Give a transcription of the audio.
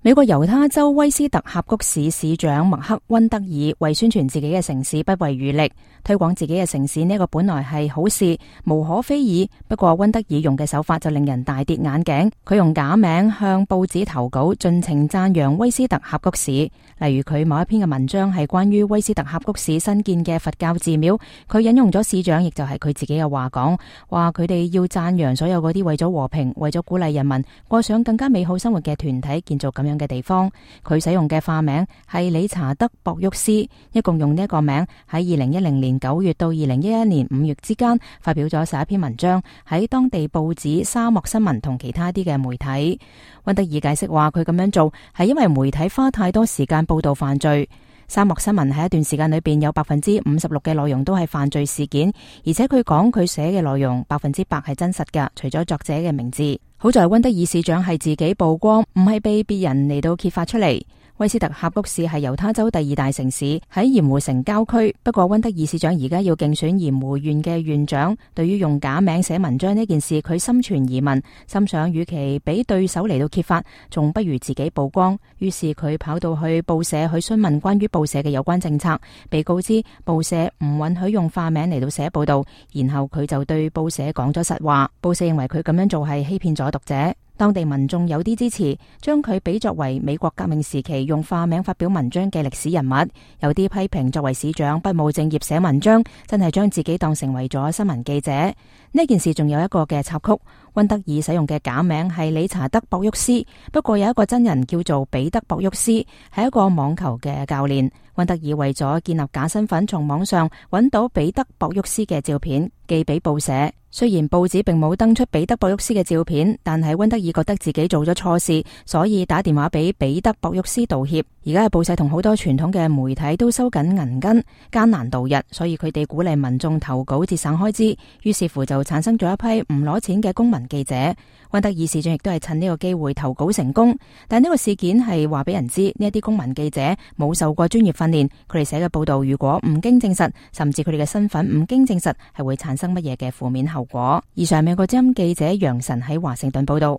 美國猶他州威斯特峽谷市市長麥克溫德爾為宣傳自己嘅城市不遺餘力，推廣自己嘅城市呢個本來係好事，無可非議。不過溫德爾用嘅手法就令人大跌眼鏡，佢用假名向報紙投稿，盡情讚揚威斯特峽谷市。例如佢某一篇嘅文章係關於威斯特峽谷市新建嘅佛教寺廟，佢引用咗市長亦就係佢自己嘅話講，話佢哋要讚揚所有嗰啲為咗和平、為咗鼓勵人民過上更加美好生活嘅團體建造咁樣嘅地方。佢使用嘅化名係理查德·博沃斯，一共用呢一個名喺2010年9月到2011年5月之間發表咗11篇文章，喺當地報紙、沙漠新聞同其他啲嘅媒體。溫德爾解釋話，佢咁樣做係因為媒體花太多時間報道犯罪。沙漠新聞喺一段時間裏邊有56%嘅內容都係犯罪事件，而且佢講佢寫嘅內容100%係真實㗎，除咗作者嘅名字。好在溫德爾市長係自己曝光，唔係被別人嚟到揭發出嚟。威斯特峽谷市係猶他州第2大城市，喺鹽湖城郊區。不過溫德爾市長而家要競選鹽湖縣嘅縣長，對於用假名寫文章呢件事，佢心存疑問，心想與其俾對手嚟到揭發，仲不如自己曝光。於是佢跑到去報社去詢問關於報社嘅有關政策，被告知報社唔允許用化名嚟到寫報道，然後佢就對報社講咗實話。報社認為佢咁樣做係欺騙咗讀者。當地民眾有啲支持，將佢比作為美國革命時期用化名發表文章嘅歷史人物；有啲批評作為市長不務正業寫文章，真係將自己當成為咗新聞記者。呢件事仲有一個嘅插曲，溫德爾使用嘅假名係理查德·博沃斯，不過有一個真人叫做彼得·博沃斯，係一個網球嘅教練。溫德爾為咗建立假身份，從網上揾到彼得·博沃斯嘅照片，寄俾報社。雖然報紙並冇登出彼得·博沃斯嘅照片，但係溫德爾覺得自己做咗錯事，所以打電話俾彼得·博沃斯道歉。而家嘅報社同好多傳統嘅媒體都收緊銀根，艱難度日，所以佢哋鼓勵民眾投稿節省開支，於是乎就產生咗一批唔攞錢嘅公民記者。溫德爾市長亦都係趁呢個機會投稿成功，但呢個事件係話俾人知，呢一啲公民記者冇受過專業訓練，佢哋寫嘅報道如果唔經證實，甚至佢哋嘅身份唔經證實，係會產生乜嘢嘅負面後果。以上美國之音記者楊晨喺華盛頓報道。